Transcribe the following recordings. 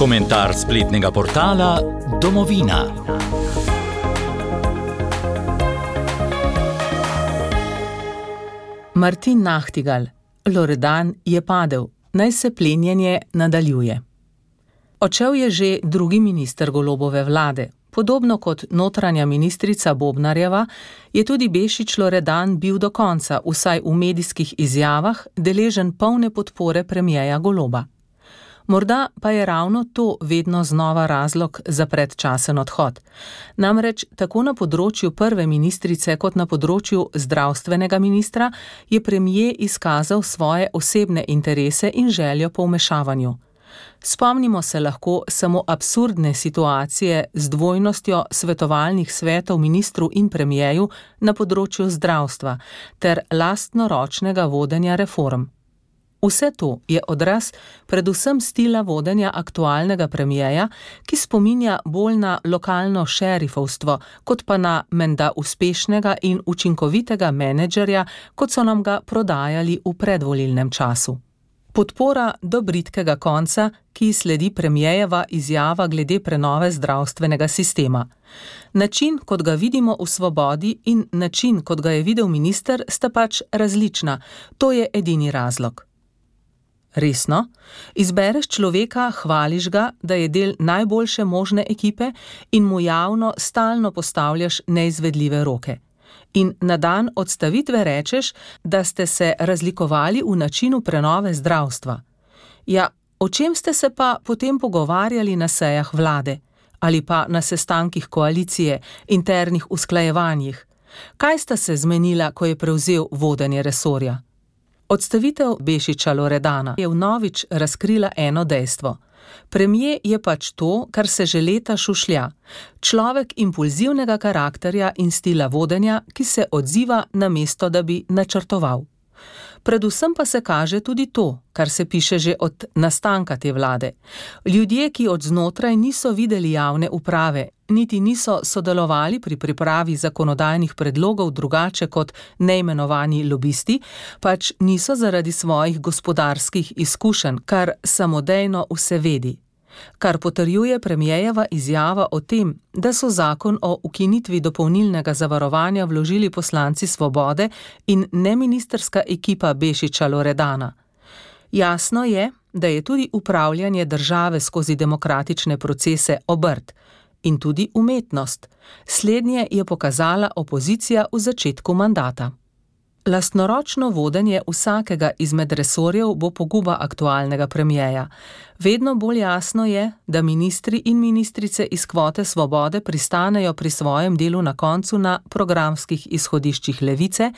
Komentar spletnega portala Domovina. Martin Nachtigal. Loredan je padel. Naj se plenjenje nadaljuje. Odšel je že drugi minister Golobove vlade. Podobno kot notranja ministrica Bobnarjeva, je tudi Bešič Loredan bil do konca, vsaj v medijskih izjavah, deležen polne podpore premierja Goloba. Morda pa je ravno to vedno znova razlog za predčasen odhod. Namreč tako na področju prve ministrice kot na področju zdravstvenega ministra je premier izkazal svoje osebne interese in željo po vmešavanju. Spomnimo se lahko samo absurdne situacije z dvojnostjo svetovalnih svetov ministru in premierju na področju zdravstva ter lastnoročnega vodenja reform. Vse to je odraz predvsem stila vodenja aktualnega premierja, ki spominja bolj na lokalno šerifovstvo, kot pa na menda uspešnega in učinkovitega menedžerja, kot so nam ga prodajali v predvolilnem času. Podpora do bridkega konca, ki sledi premierjeva izjava glede prenove zdravstvenega sistema. Način, kot ga vidimo v Svobodi, in način, kot ga je videl minister, sta pač različna. To je edini razlog. Resno? Izbereš človeka, hvališ ga, da je del najboljše možne ekipe in mu javno stalno postavljaš neizvedljive roke. In na dan odstavitve rečeš, da ste se razlikovali v načinu prenove zdravstva. Ja, o čem ste se pa potem pogovarjali na sejah vlade? Ali pa na sestankih koalicije, internih usklajevanjih? Kaj sta se zmenila, ko je prevzel vodenje resorja? Odstavitev Bešiča Loredana je vnovič razkrila eno dejstvo. Premier je pač to, kar se že leta šušlja. Človek impulzivnega karakterja in stila vodenja, ki se odziva namesto, da bi načrtoval. Predvsem pa se kaže tudi to, kar se piše že od nastanka te vlade. Ljudje, ki od znotraj niso videli javne uprave, niti niso sodelovali pri pripravi zakonodajnih predlogov drugače kot neimenovani lobisti, pač niso zaradi svojih gospodarskih izkušenj, kar samodejno vse vedi. Kar potrjuje premierjeva izjava o tem, da so zakon o ukinitvi dopolnilnega zavarovanja vložili poslanci Svobode in neministrska ekipa Bešiča Loredana. Jasno je, da je tudi upravljanje države skozi demokratične procese obrt in tudi umetnost. Slednje je pokazala opozicija v začetku mandata. Lastnoročno vodenje vsakega izmed resorjev bo poguba aktualnega premierja. Vedno bolj jasno je, da ministri in ministrice iz kvote Svobode pristanejo pri svojem delu na koncu na programskih izhodiščih levice,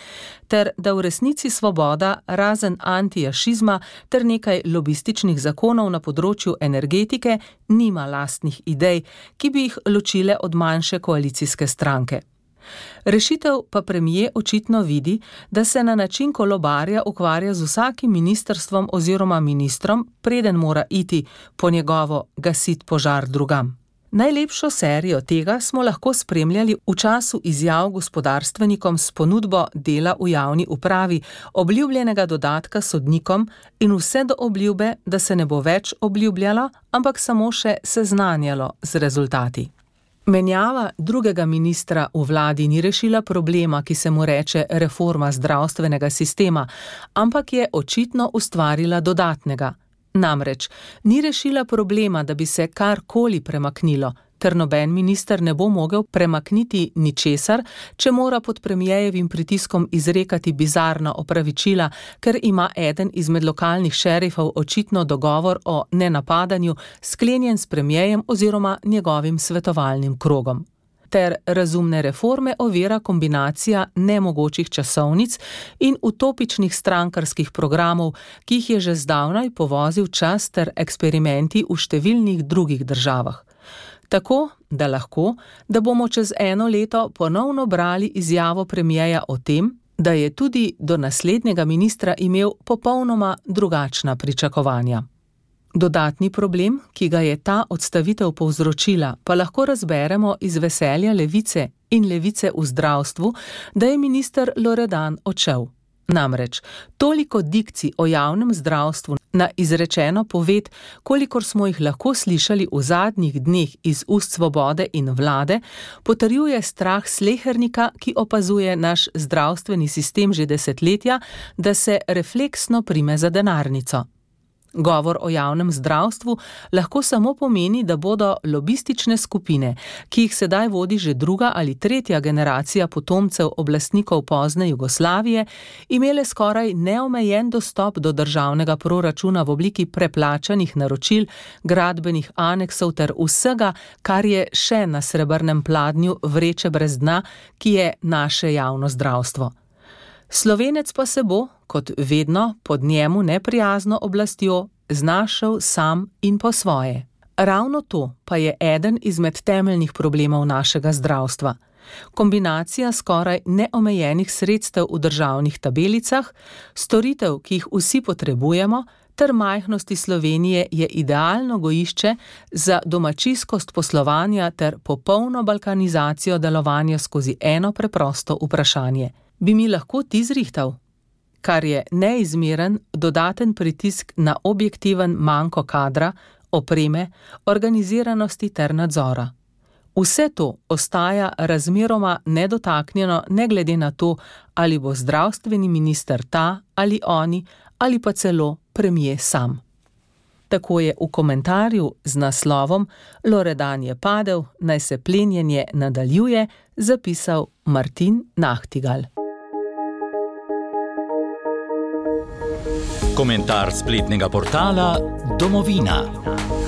ter da v resnici Svoboda, razen antijašizma ter nekaj lobističnih zakonov na področju energetike, nima lastnih idej, ki bi jih ločile od manjše koalicijske stranke. Rešitev pa premier očitno vidi, da se na način kolobarja ukvarja z vsakim ministrstvom oziroma ministrom, preden mora iti po njegovo gasit požar drugam. Najlepšo serijo tega smo lahko spremljali v času izjav gospodarstvenikom s ponudbo dela v javni upravi, obljubljenega dodatka sodnikom in vse do obljube, da se ne bo več obljubljalo, ampak samo še seznanjalo z rezultati. Menjava drugega ministra v vladi ni rešila problema, ki se mu reče reforma zdravstvenega sistema, ampak je očitno ustvarila dodatnega. Namreč, ni rešila problema, da bi se karkoli premaknilo, ker noben minister ne bo mogel premakniti ničesar, če mora pod premierjevim pritiskom izrekati bizarna opravičila, ker ima eden izmed lokalnih šerifov očitno dogovor o nenapadanju sklenjen s premierjem oziroma njegovim svetovalnim krogom. Ter razumne reforme ovira kombinacija nemogočih časovnic in utopičnih strankarskih programov, ki jih je že zdavnaj povozil čas ter eksperimenti v številnih drugih državah. Tako, da bomo čez eno leto ponovno brali izjavo premierja o tem, da je tudi do naslednjega ministra imel popolnoma drugačna pričakovanja. Dodatni problem, ki ga je ta odstavitev povzročila, pa lahko razberemo iz veselja levice in levice v zdravstvu, da je minister Loredan odšel. Namreč, toliko dikcij o javnem zdravstvu Na izrečeno poved, kolikor smo jih lahko slišali v zadnjih dneh iz ust Svobode in Vlade, potrjuje strah slehernika, ki opazuje naš zdravstveni sistem že desetletja, da se refleksno prime za denarnico. Govor o javnem zdravstvu lahko samo pomeni, da bodo lobistične skupine, ki jih sedaj vodi že druga ali tretja generacija potomcev oblastnikov pozne Jugoslavije, imele skoraj neomejen dostop do državnega proračuna v obliki preplačanih naročil, gradbenih aneksov ter vsega, kar je še na srebrnem pladnju vreče brez dna, ki je naše javno zdravstvo. Slovenec pa se bo, kot vedno, pod njemu neprijazno oblastjo, znašel sam in po svoje. Ravno to pa je eden izmed temeljnih problemov našega zdravstva. Kombinacija skoraj neomejenih sredstev v državnih tabelicah, storitev, ki jih vsi potrebujemo, ter majhnosti Slovenije je idealno gojišče za domačijskost poslovanja ter popolno balkanizacijo delovanja skozi eno preprosto vprašanje. Bi mi lahko ti zrihtal? Kar je neizmeren dodaten pritisk na objektiven manko kadra, opreme, organiziranosti ter nadzora. Vse to ostaja razmeroma nedotaknjeno, ne glede na to, ali bo zdravstveni minister ta ali oni, ali pa celo premier sam. Tako je v komentarju z naslovom Loredan je padel, naj se plenjenje nadaljuje, zapisal Martin Nahtigal. Komentar spletnega portala Domovina.